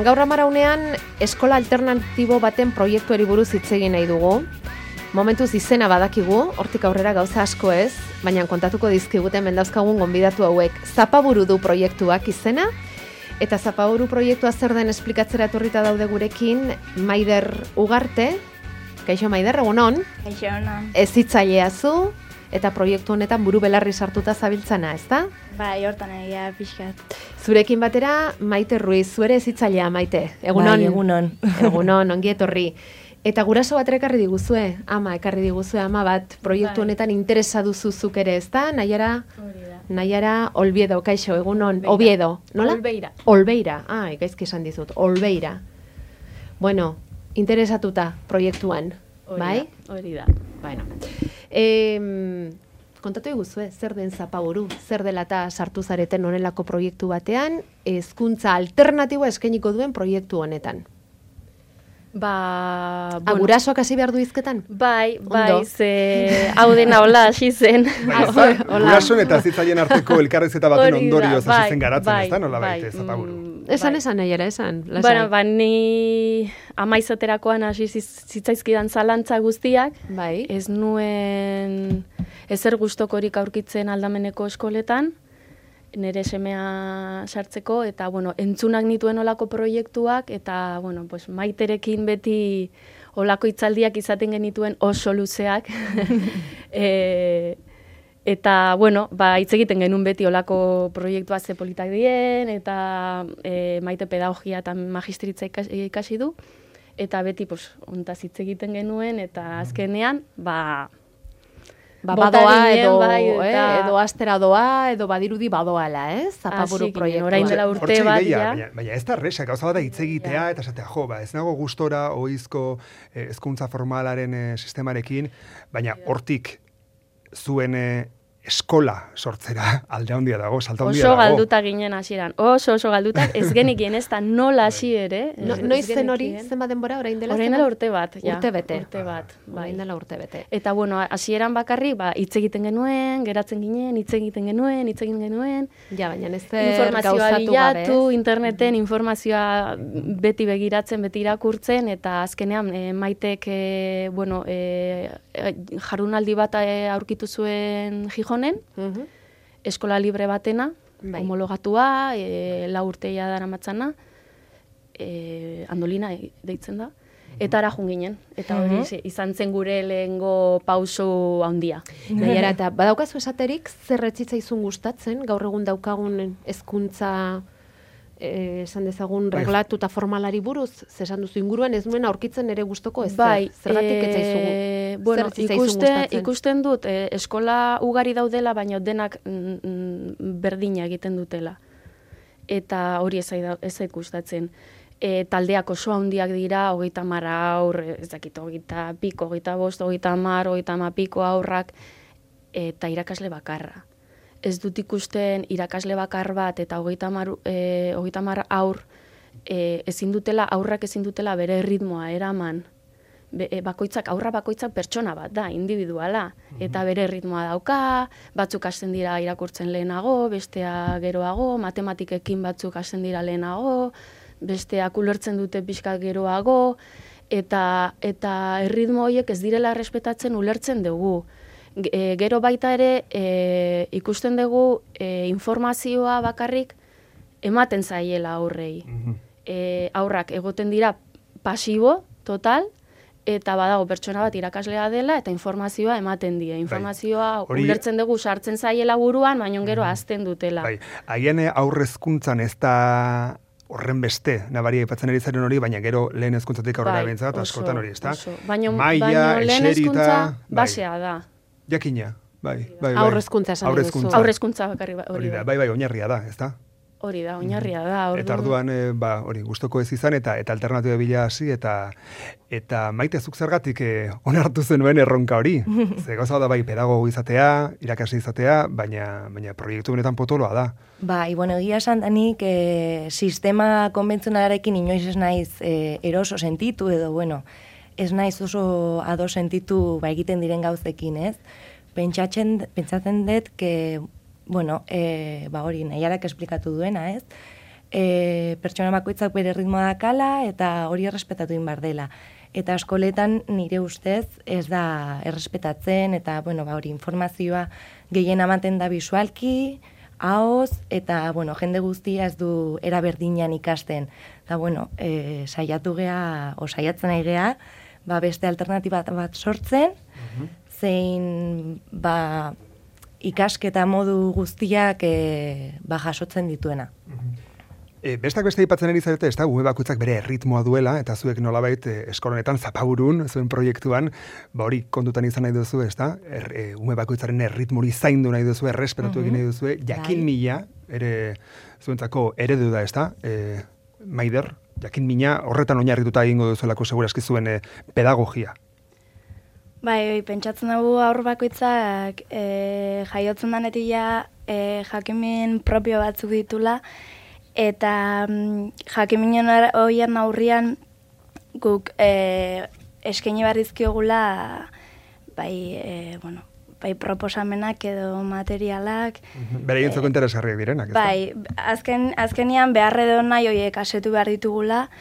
Gaur amaraunean, eskola alternatibo baten proiektuari buruz hitz egin nahi dugu. Momentuz izena badakigu, hortik aurrera gauza asko ez, baina kontatuko dizkiguten mendauzkagun gonbidatu hauek. Zapaburu du proiektuak izena, eta Zapaburu proiektua zer den esplikatzera etorrita daude gurekin Maider Ugarte. Kaixo Maider, egunon? Kaixo, egunon. Hezitzailea zu, eta proiektu honetan buru belarri sartuta zabiltzana, ezta? Bai, hortan egia pixkat. Zurekin batera, Maite Ruiz, zuere hezitzailea, Maite. Egunon? Bai, egunon. Egunon, ongi etorri. Eta guraso bat ekarri diguzue, ekarri diguzue ama bat, proiektu honetan interesa duzuzuk ere, ezta? Naiara Olbiedo, kaixo, egunon, Oviedo, nola? Olbeira, gaizki esan dizut, Olbeira. Bueno, interesatuta proiektuan, bai? Hori da. Bueno, kontatu eguzue, zer den Zapaburu, zer dela eta sartu zareten honelako proiektu batean, hezkuntza alternatiboa eskainiko duen proiektu honetan. Gurasoak hasi behar du izketan? Bai, ze hau dena hola hasi zen. Gurasoen eta hezitzaien arteko elkarrizketa baten ondorioz hasi zen garatzen, ez da, nola baite Zapaburu? Esan, Naiara, esan. Ni amaizaterakoan hasi zitzaizkidan zalantza guztiak, ez nuen ezer gustokorik aurkitzen aldameneko eskoletan, nire semea sartzeko, eta, entzunak nituen olako proiektuak, eta, Maiterekin beti olako hitzaldiak izaten genituen oso luzeak, eta, hitz egiten genuen beti olako proiektua ze politak dien, eta Maite pedagogia eta magistritza ikasi du, eta beti, ontaz hitz egiten genuen, eta azkenean, badoa edo astera doa, edo badirudi badoala, ez? Zapaburu proiektua. Orain dela urte bat, baina ez da resa, gauza bat hitz egitea, eta esatea, ez nago gustora ohizko hezkuntza formalaren sistemarekin, baina hortik zuen eskola sortzera alde handia dago, salta handia dago. Oso galduta ginen hasieran, oso galduta, ez genikien ez da nola hasi ere. Noiz zen hori, zenbat denbora, orain dela urte bat. Urte bete. Orain dela urte bete. Eta hasieran bakarri, hitz egiten genuen, geratzen ginen, hitz egiten genuen. Ja, baina ez gauzatu gabe. Interneten informazioa beti begiratzen, beti irakurtzen, eta azkenean Maitek, jardunaldi bat aurkitu zuen Gijonen, eskola libre batena, homologatua, 4 urteia daramatzana, Andolina deitzen da, eta ara joan ginen, eta hori izan zen gure lehengo pauso handia. Naiara, eta badaukazu esaterik, zer etzitzaizu gustatzen, gaur egun daukagun hezkuntza esan dezagun reglatu eta formalari buruz, zesan duzu inguruan ez nuen aurkitzen ere gustoko ez zergatik etzaizu ikusten dut eskola ugari daudela, baina denak berdina egiten dutela. Eta hori ez zait gustatzen. Taldeak oso handiak dira, 30 haur, ez dakit, 20 piko, 25, 30, 30 piko haurrak, eta irakasle bakarra. Ez dut ikusten irakasle bakar bat eta 30 haur aurrak ezin dutela bere ritmoa eraman. Aurra bakoitzak pertsona bat da, individuala, eta bere ritmoa dauka, batzuk hasten dira irakurtzen lehenago, bestea geroago, matematikekin batzuk hasten dira lehenago, besteak ulertzen dute pixka geroago, eta erritmo horiek ez direla errespetatzen ulertzen dugu. Gero baita ere ikusten dugu informazioa bakarrik ematen zaiela aurrei. Aurrak egoten dira pasibo, total, eta badago pertsona bat irakaslea dela eta informazioa ematen die. Informazioa ulertzen dugu sartzen zaiela buruan, baina gero hazten dutela. Haien aurrezkuntzan ez da horren beste, nabaria aipatzen ari zaren hori, baina gero lehen hezkuntzatik aurrera bentzat, askotan hori, ez da? Baina lehen hezkuntza basea da. Jakina, bai. Aurrezkuntza esan duzu. Aurrezkuntza bakarri hori da. Bai, oinarria da, ez da? Hori da, oinarria da. Eta orduan, hori, gustoko ez izan, eta alternatiba bila hasi, eta Maite zuk zergatik onartu zenuen erronka hori. Ze gauza da bai pedagogo izatea, irakasle izatea, baina proiektu benetan potoloa da. Bai, egia esan danik sistema konbentzionalarekin inoiz ez naiz eroso sentitu, edo, ez naiz oso ado sentitu egiten diren gauzekin, ez? Pentsatzen dut, hori, Naiarak esplikatu duena, ez? pertsona bakoitzak bere ritmoa dakala eta hori errespetatu egin behar dela. Eta eskoletan nire ustez ez da errespetatzen eta hori informazioa gehien ematen da bisualki, ahoz, eta jende guztia ez du era berdinean ikasten. Eta saiatzen nahi gea, beste alternatiba bat sortzen, zein ikasketa modu guztiak jasotzen dituena. Bestak beste aipatzen ari zarete, ez da, ume bakoitzak bere erritmoa duela, eta zuek nolabait eskolonetan zapaburun, zuen proiektuan, hori kontutan izan nahi duzu, ez da, ume bakoitzaren erritmori zaindu nahi duzu, errespetatu egin nahi duzu, jakin mila, ere zuentzako eredu da, ez da, Maider, jakin mina horretan oinarrituta egingo duzuelako segurazki zuen pedagogia. Bai, pentsatzen dugu aur bakoitzak jaiotzen danetik jakimin propio batzuk ditula, eta jakiminen horien aurrian guk eskaini barrizkiogula bai proposamenak edo materialak. Bere gintzoko interesgarriak direnak, ez da? Bai, azkenian beharre edo nahi horiek asetu behar ditugula,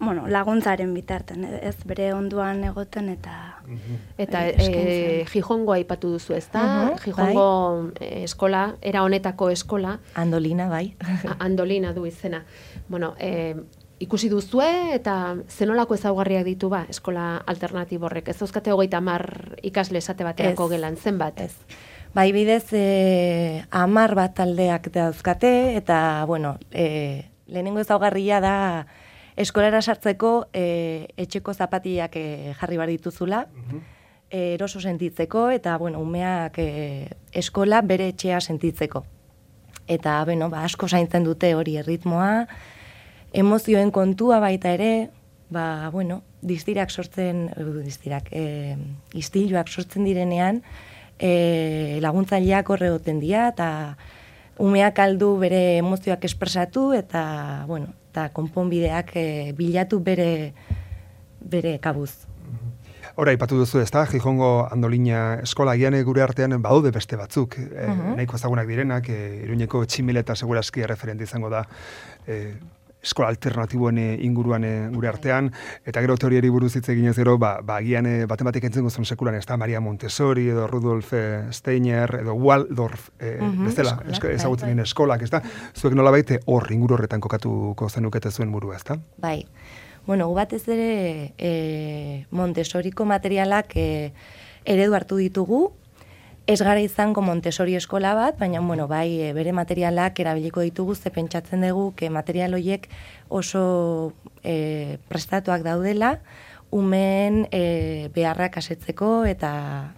laguntzaren bitarten, ez bere onduan egoten eta... Eta Gijongo aipatu duzu, ez da? Gijongo eskola, era honetako eskola. Andolina, bai. Andolina du izena. Ikusi duzue eta zenolako ezaugarriak ditu eskola alternatiborrek. Ez dauzkate 30 ikasle esate baterako gelan, zenbat? Ez. Bai, bidez 10 bat taldeak dauzkate eta, lehenengo ezaugarria da eskolara sartzeko etxeko zapatiak jarri bar dituzula, eroso sentitzeko eta umeak eskola bere etxea sentitzeko. Eta asko zaintzen dute hori erritmoa, emozioen kontua baita ere, istiluak sortzen direnean, laguntzaileak horre goten dira eta umeak aldu bere emozioak espresatu eta eta konponbideak bilatu bere kabuz. Hora, ipatu duzu, ez da, Gijongo Andolina eskola, agian gure artean badaude beste batzuk, nahiko ezagunak direnak, Iruñeko Tximileta segurazki referente izango da eskola alternatiboen inguruan gure artean, eta gero teoriari buruz hitz eginez gero, agian baten batek entzun gozun sekulan, ez da, Maria Montessori, edo Rudolf Steiner, edo Waldorf, bezala, ezagutzen dien eskolak, ez da, zuek nolabait hor inguru horretan kokatuko zenukete zuen burua, ez da? Bai, batez ere Montessoriko materialak eredu hartu ditugu, ez gara izango Montessori eskola bat, baina bai bere materialak erabiliko ditugu, ze pentsatzen dugu material horiek oso prestatuak daudela, umeen beharrak asetzeko eta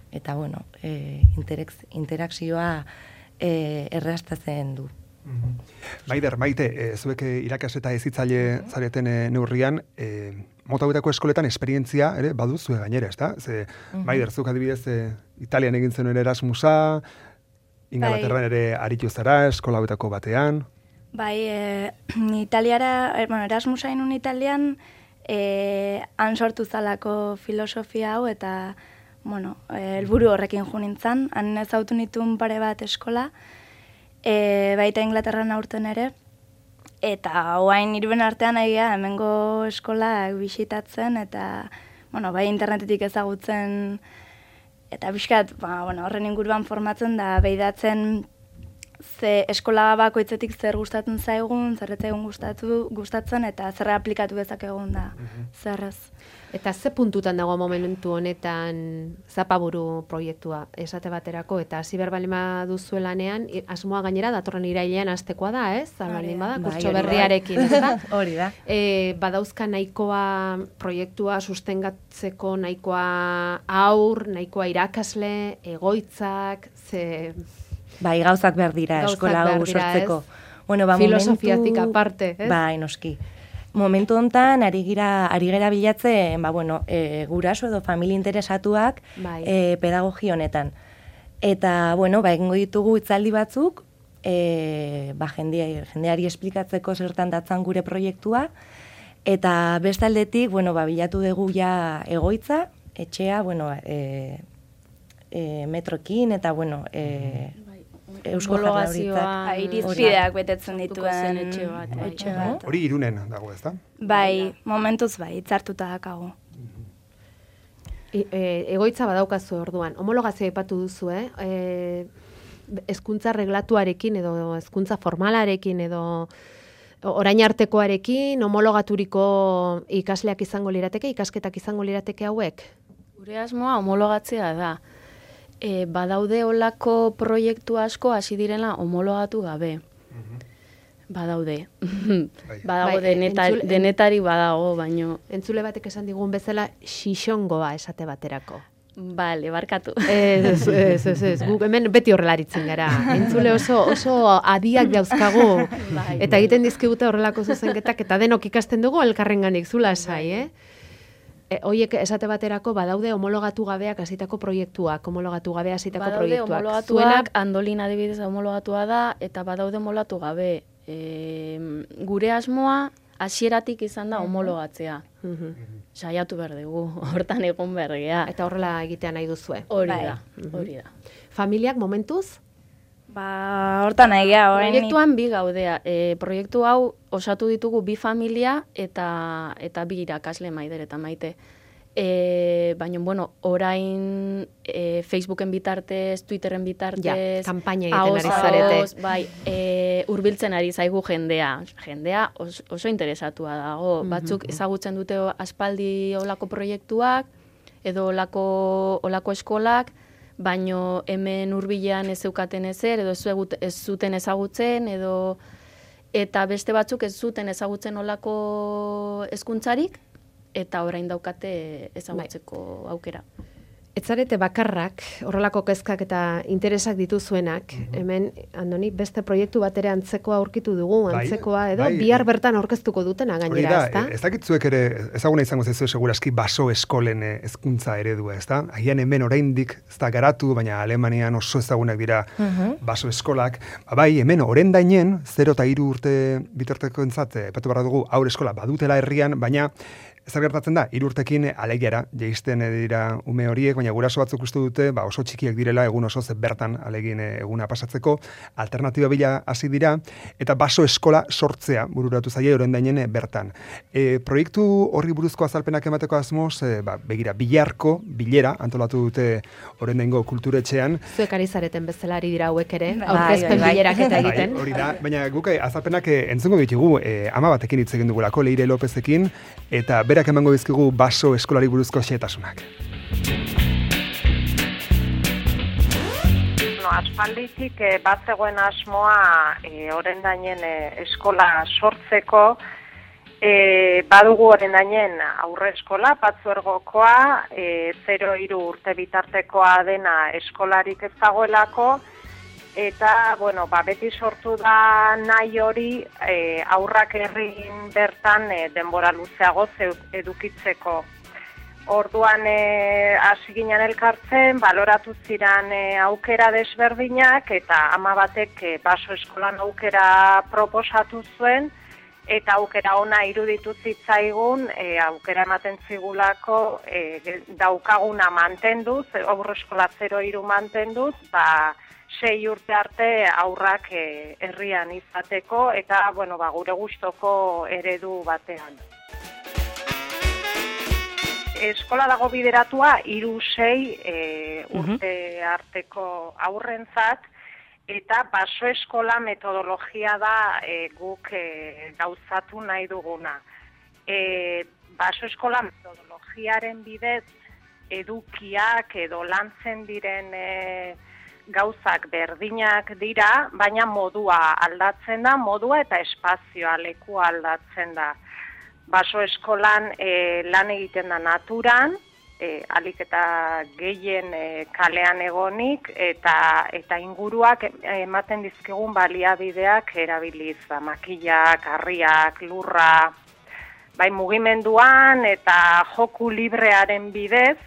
interakzioa erraztatzen du. Maider, Maite, zuek irakasle hezitzaile zareten neurrian, mota hauetako eskoletan esperientzia ere baduzue gainera, ezta? Ze Maider, zuk adibidez Italian egin zenuen Erasmusa, Ingalaterran ere aritu zara eskola hauetako batean. Bai, Erasmusa inun Italian han sortu zalako filosofia hau eta helburu horrekin jo nintzen, han ezautu nituen pare bat eskola, baita Inglaterran aurten ere, eta oain irben artean egia hemengo eskolak bisitatzen, eta bai internetetik ezagutzen, eta bizkat horren inguruan formatzen da behidatzen ze eskola bakoitzetik zer gustatzen zaigun, zer etzaigun gustatzen, eta zer aplikatu dezakegun da, zerrez. Eta ze puntutan dago momentu honetan zapaburu proiektua esate baterako, eta hasi behar balima duzuelanean, asmoa gainera datorren irailean hastekoa da, ez? Balin bada, kurtso berriarekin, ez da? Hori da. Badauzka nahikoa proiektua sustengatzeko, nahikoa aur, nahikoa irakasle, egoitzak, ze... Bai, gauzak behar dira, eskola hau sortzeko. Filosofiatik aparte, ez? Bai, noski. Momentu hontan ari gera bilatzen, guraso edo familia interesatuak pedagogia honetan. Eta, egingo ditugu hitzaldi batzuk, jendeari esplikatzeko zertan datzan gure proiektua, eta bestaldetik, bilatu dugu ja egoitza, etxea, metroekin, eta, Eusko Jaurlaritzak. Irizpideak betetzen dituen etxe bat. etxe bat. Hori Irunen dago, ezta? Bai, momentuz bai, hitzartuta dakagu. Egoitza badaukazu orduan. Homologazioa aipatu duzu, hezkuntza reglatuarekin edo hezkuntza formalarekin edo orain artekoarekin homologaturiko ikasleak izango lirateke, ikasketak izango lirateke hauek? Gure asmoa homologatzea da. Badaude olako proiektu asko hasi direla homologatu gabe. Badaude. Badago denetari badago, baino. Entzule batek esan digun bezala xixongoa esate baterako. Bale, barkatu. Ez. Guk hemen beti horrelaritzen gara. Entzule oso adiak dauzkagu. Eta egiten dizkigute horrelako zuzenketak, eta denok ikasten dugu elkarrenganik zula esai, Hoiek esate baterako badaude homologatu gabeak hasitako proiektuak, homologatu gabe hasitako proiektuak. Badaude homologatuak, Andolin adibidez homologatua da, eta badaude homologatu gabe. Gure asmoa hasieratik izan da homologatzea. Saiatu behar dugu, hortan egon behar gea. Eta horrela egitea nahi duzue. Hori da. Familiak momentuz? Hortan egia, Proiektuan bi gaudea. Proiektu hau osatu ditugu 2 familia eta 2 irakasle, Maider eta Maite. Baina, orain Facebooken bitartez, Twitteren bitartez, kanpaina egiten ari zarete. Bai, hurbiltzen ari zaigu jendea. Jendea oso interesatua dago. Batzuk ezagutzen dute aspaldi olako proiektuak, edo olako eskolak, baino hemen hurbilean ez zeukaten ezer, edo ez zuten ezagutzen, eta beste batzuk ez zuten ezagutzen olako hezkuntzarik, eta orain daukate ezagutzeko aukera. Etzarete bakarrak, horrelako kezkak eta interesak dituzuenak, hemen, Andoni, beste proiektu bat ere antzekoa aurkitu dugu, antzekoa edo, bihar bertan aurkeztuko dutena gainera, ezta? Ez dakitzuek ere, ezaguna izango zaizu seguraski baso eskolen hezkuntza eredua, ezta? Agian hemen oraindik ez da garatu, baina Alemanian oso ezagunak dira baso eskolak. Bai, hemen orendainen, 0 eta 3 urte bitartekoentzat, epatu barra dugu, haur eskola badutela herrian, baina zer gertatzen da, 3 urtekin alegiara jaisten dira ume horiek, baina guraso batzuk uste dute oso txikiak direla egun oso bertan alegin eguna pasatzeko, alternatiba bila hasi dira, eta baso eskola sortzea bururatu zaie orendainen bertan. Proiektu horri buruzko azalpenak emateko asmoz, begira, bilarko, bilera, antolatu dute orendaingo kulturetxean. Zuek ari zareten bezala ari dira hauek ere, aurkezpen bilerak eta egiten. Hori da, baina guk azalpenak entzungo ditugu, ama batekin hitz egin dugulako, Leire Lopezekin, eta berak emango dizkigu baso eskolari buruzko xehetasunak. Aspalditik bat zegoen asmoa orendainen eskola sortzeko, badugu orendainen aurre eskola, patzuergokoa, 0-3 urte bitartekoa dena eskolarik ez dagoelako, eta, beti sortu da nahi hori aurrak herrin bertan denbora luzeago edukitzeko. Orduan hasi ginen elkartzen, baloratu ziren aukera desberdinak, eta ama batek baso eskolan aukera proposatu zuen, eta aukera ona iruditu zitzaigun, aukera ematen zigulako daukaguna mantenduz, aurre eskola 0-3 mantenduz, 6 urte arte aurrak herrian izateko, eta gure gustoko eredu batean. Eskola dago bideratua 3-6 urte arteko aurrentzat, eta baso eskola metodologia da guk gauzatu nahi duguna. Baso eskola metodologiaren bidez edukiak edo lantzen diren gauzak berdinak dira, baina modua aldatzen da, modua eta espazioa, lekua aldatzen da. Baso eskolan lan egiten da naturan, alik eta gehien kalean egonik, eta inguruak ematen dizkigun baliabideak erabiliz, makillak, harriak, lurra, mugimenduan eta joku librearen bidez,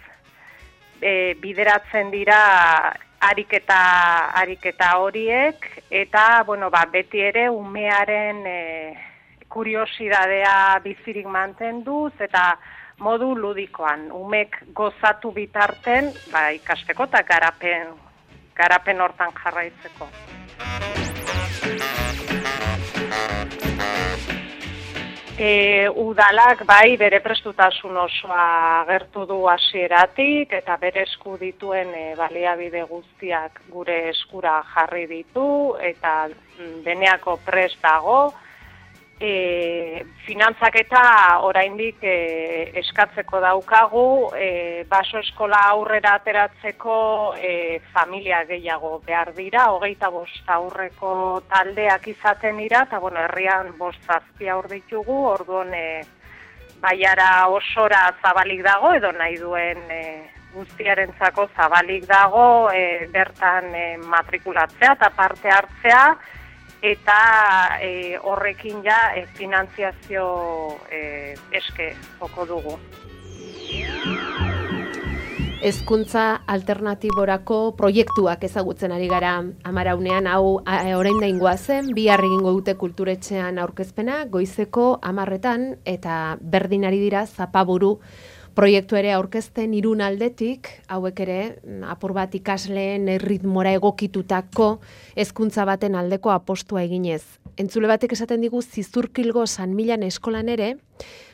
bideratzen dira ariketa horiek, eta beti ere umearen kuriosidadea bizirik mantenduz, eta modu ludikoan, umek gozatu bitarten, ikasteko eta garapen hortan jarraitzeko. Udalak bai bere prestutasun osoa agertu du hasieratik eta bere esku dituen baliabide guztiak gure eskura jarri ditu eta deneako prest dago. Finantzaketa oraindik eskatzeko daukagu, baso eskola aurrera ateratzeko familia gehiago behar dira, 25 aurreko taldeak izaten dira, eta herrian 5-7 aur ditugu, orduan baiara osora zabalik dago, edo nahi duen guztiarentzako zabalik dago, bertan matrikulatzea eta parte hartzea, eta horrekin ja finantziazio eske joko dugu. Hezkuntza alternatiborako proiektuak ezagutzen ari gara Amaraunean, hau orain daingoa zen, bihar egingo dute kulturetxean aurkezpena, goizeko 10:00 eta berdin ari dira Zapaburu proiektu ere aurkezten Irun aldetik, hauek ere apur bat ikasleen erritmora egokitutako hezkuntza baten aldeko apostua eginez. Entzule batek esaten digu Zizurkilgo San Milan eskolan ere,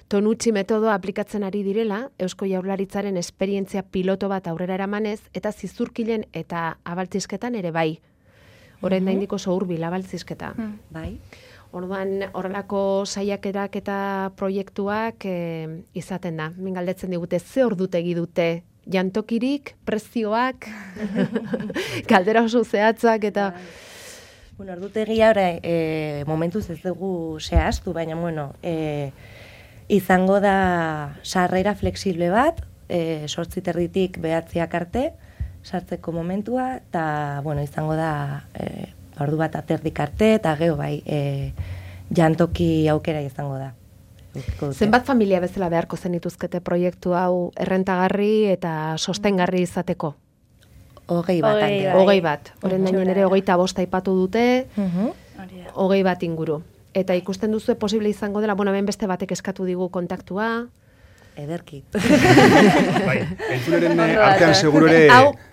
Tonutxi metodoa aplikatzen ari direla, Eusko Jaurlaritzaren esperientzia piloto bat aurrera eramanez, eta Zizurkilen eta abaltzisketan ere bai. Orain da indiko oso hurbil abaltzizketa. Bai. Orduan, horrelako saiakerak eta proiektuak izaten da. Min galdetzen digute, ze ordutegi dute? Jantokirik, prezioak, galdera oso zehatzak eta... Bueno, ordutegia momentuz ez dugu zehaztu, baina, izango da sarrera flexible bat, 8:30 9:00 arte, sartzeko momentua, eta, izango da... ordu bat aterdik arte, eta gero bai, jantoki aukera izango da. Zenbat familia bezala beharko zenituzkete proiektu hau errentagarri eta sostengarri izateko? 20 bat. 20 bat. Horren dainen ere 25 aipatu dute, 20 bat inguru. Eta ikusten duzu posible izango dela, hemen beste batek eskatu digu kontaktua, ederki. Bai, entzuleren artean seguro ere,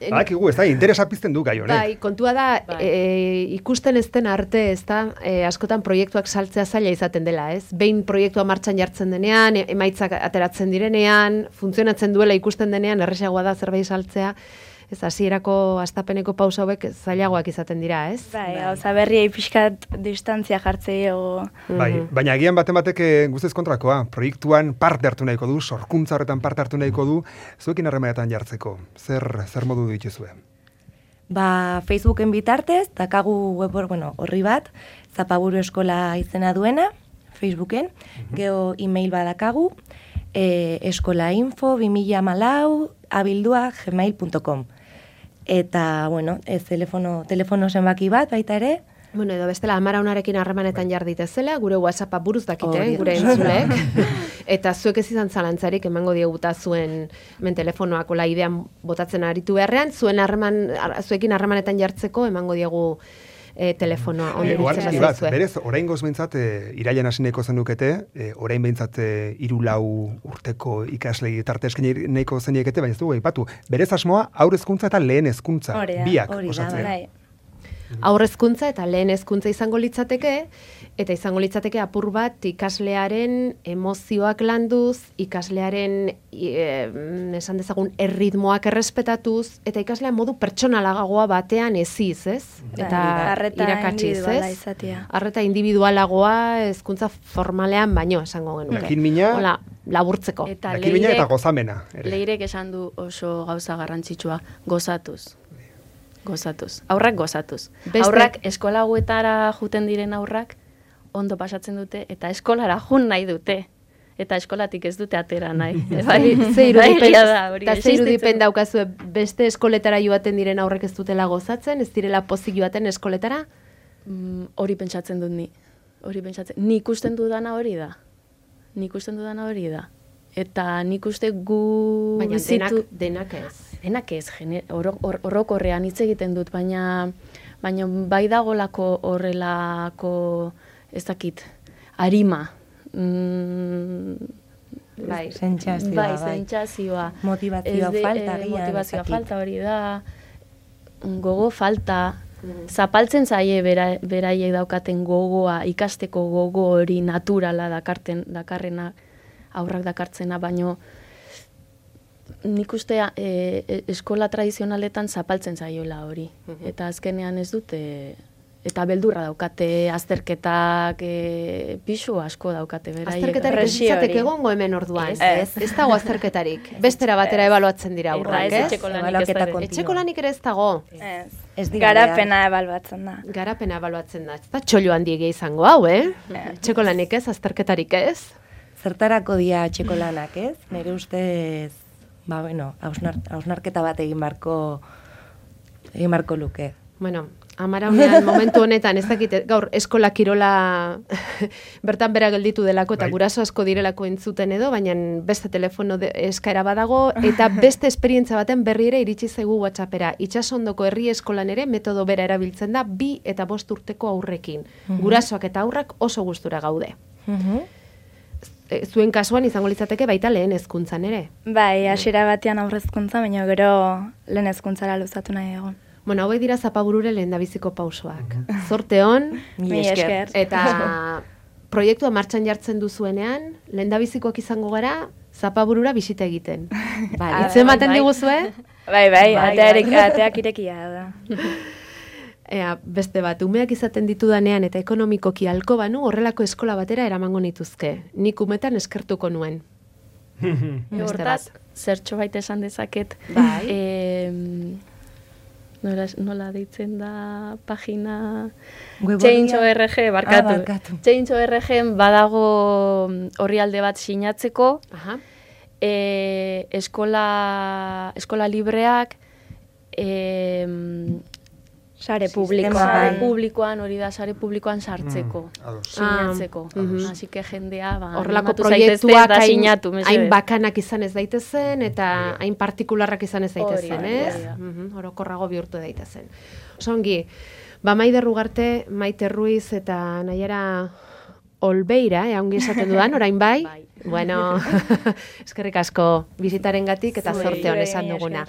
badakigu, ez da, interesa pizten du gai honek. Bai, kontua da, ikusten ez den arte, ez da, askotan proiektuak saltzea zaila izaten dela, ez? Behin proiektua martxan jartzen denean, emaitzak ateratzen direnean, funtzionatzen duela ikusten denean, erresagoa da zerbait saltzea, ez hasierako astapeneko pausa hauek zailagoak izaten dira, ez? Bai, gauza berriei pixkat distantzia jartzeio. Bai, baina agian batek guztiz kontrakoa, proiektuan parte hartu nahiko du, sorkuntza horretan parte hartu nahiko du, zuekin harremanetan jartzeko, zer modu dituzue? Facebooken bitartez, dakagu web horri bat, Zapaburu eskola izena duena, Facebooken, geho email badakagu, eskolainfo2014@gmail.com. Eta, telefono zenbaki bat baita ere. Edo bestela, Amaraunarekin harremanetan jarditezela, gure WhatsAppa buruz dakite, gure entzulek. Eta zuek ez izan zalantzarik emango dieguta zuen telefonoak ola idean botatzen aritu beharrean, zuekin harremanetan jartzeko emango diegu telefonoa. Berez, orain goz behintzat, irailan hasineko zenukete, orain behintzat 3-4 urteko ikasle tarte esken nahiko zeniekete, baina ez dugu aipatu. Berez asmoa, aur hezkuntza eta lehen hezkuntza, biak osatzen. Aur hezkuntza eta lehen hezkuntza izango litzateke, eta izango litzateke apur bat ikaslearen emozioak landuz, ikaslearen esan dezagun erritmoak errespetatuz, eta ikaslean modu pertsonalagagoa batean eziz, ez? Eta irakatsiz, ez? Arreta individualagoa hezkuntza formalean baino esango genuke. Jakin-mina, laburtzeko. jakin-mina eta gozamena. Leirek esan du oso gauza garrantzitsua, gozatuz. Aurrak gozatuz. Aurrak eskola hauetara juten diren aurrak ondo pasatzen dute eta eskolara jun nahi dute. Eta eskolatik ez dute atera nahi. Eta ze irudipen daukazue beste eskoletara joaten diren aurrek ez dutela gozatzen, ez direla pozik joaten eskoletara? Hori pentsatzen dut ni. Nik ikusten dudana hori da. Eta nik uste gu... Baina denak ez. Denak ez, orokorrean hitz egiten dut, baina bai dagolako horrelako, ez dakit, arima. Sentsazioa. Motivazioa falta. Motivazioa falta hori da. gogo falta, zapaltzen zaie beraiek daukaten gogoa, ikasteko gogo hori naturala dakarrena, aurrak dakartzena, baino nik uste eskola tradizionaletan zapaltzen zaiola hori. Eta azkenean ez dute, eta beldurra daukate, azterketak, pixu asko daukate beraiek. Azterketarik ez izateke egongo hemen orduan. Ez dago azterketarik. Bestera batera ebaluatzen dira aurrak, ez? Etxeko lanik ere ez dago. Garapena ebaluatzen da. Garapena ebaluatzen da. Ez da txolo handiegia izango hau, Etxeko lanik ez, azterketarik ez? Zertarako dia etxeko lanak, ez? Nire ustez, hausnarketa bat egin barko luke. Bueno, Amaraunean momentu honetan, ez dakit, gaur eskola kirola bertan bera gelditu delako eta guraso asko direlako entzuten edo, baina beste telefono eskaera badago eta beste esperientzia baten berri ere iritsi zaigu WhatsAppera. Itsasondoko herri eskolan ere metodo bera erabiltzen da 2 eta 5 urteko aurrekin. Gurasoak eta aurrak oso gustura gaude. Zuen kasuan izango litzateke baita lehen hezkuntzan ere. Bai, hasiera batean aurre hezkuntza, baina gero lehen hezkuntzara luzatu nahi egon. Bueno, hauek dira zapaburure lehendabiziko pausoak. Zorte hon, mi esker. Eta proiektua martxan jartzen duzuenean, lehendabizikoak izango gara, zapaburura bisita egiten. Hitz ematen diguzue? Bai, ateak irekia da. Beste bat, umeak izaten ditudanean eta ekonomikoki halko banu, horrelako eskola batera eramango nituzke. Nik umetan eskertuko nuen. Hortaz, zertxo baita esan dezaket. Nola deitzen da pagina Change.org, barkatu. Change.org badago orrialde bat sinatzeko, eskola libreak, sare publikoan, hori da, sare publikoan sartzeko, sinatzeko. Así que jendea, horrelako proiektuak hain bakanak izan ez daitezen, eta hain partikularrak izan ez daitezen, ez? Orokorrago bihurtu daitezen. Osongi, Maider Ugarte, Maite Ruiz eta Naiara Olbeira, ongi esaten dudan, orain bai? Bueno, eskerrik asko bizitarengatik eta zorte hon esan duguna.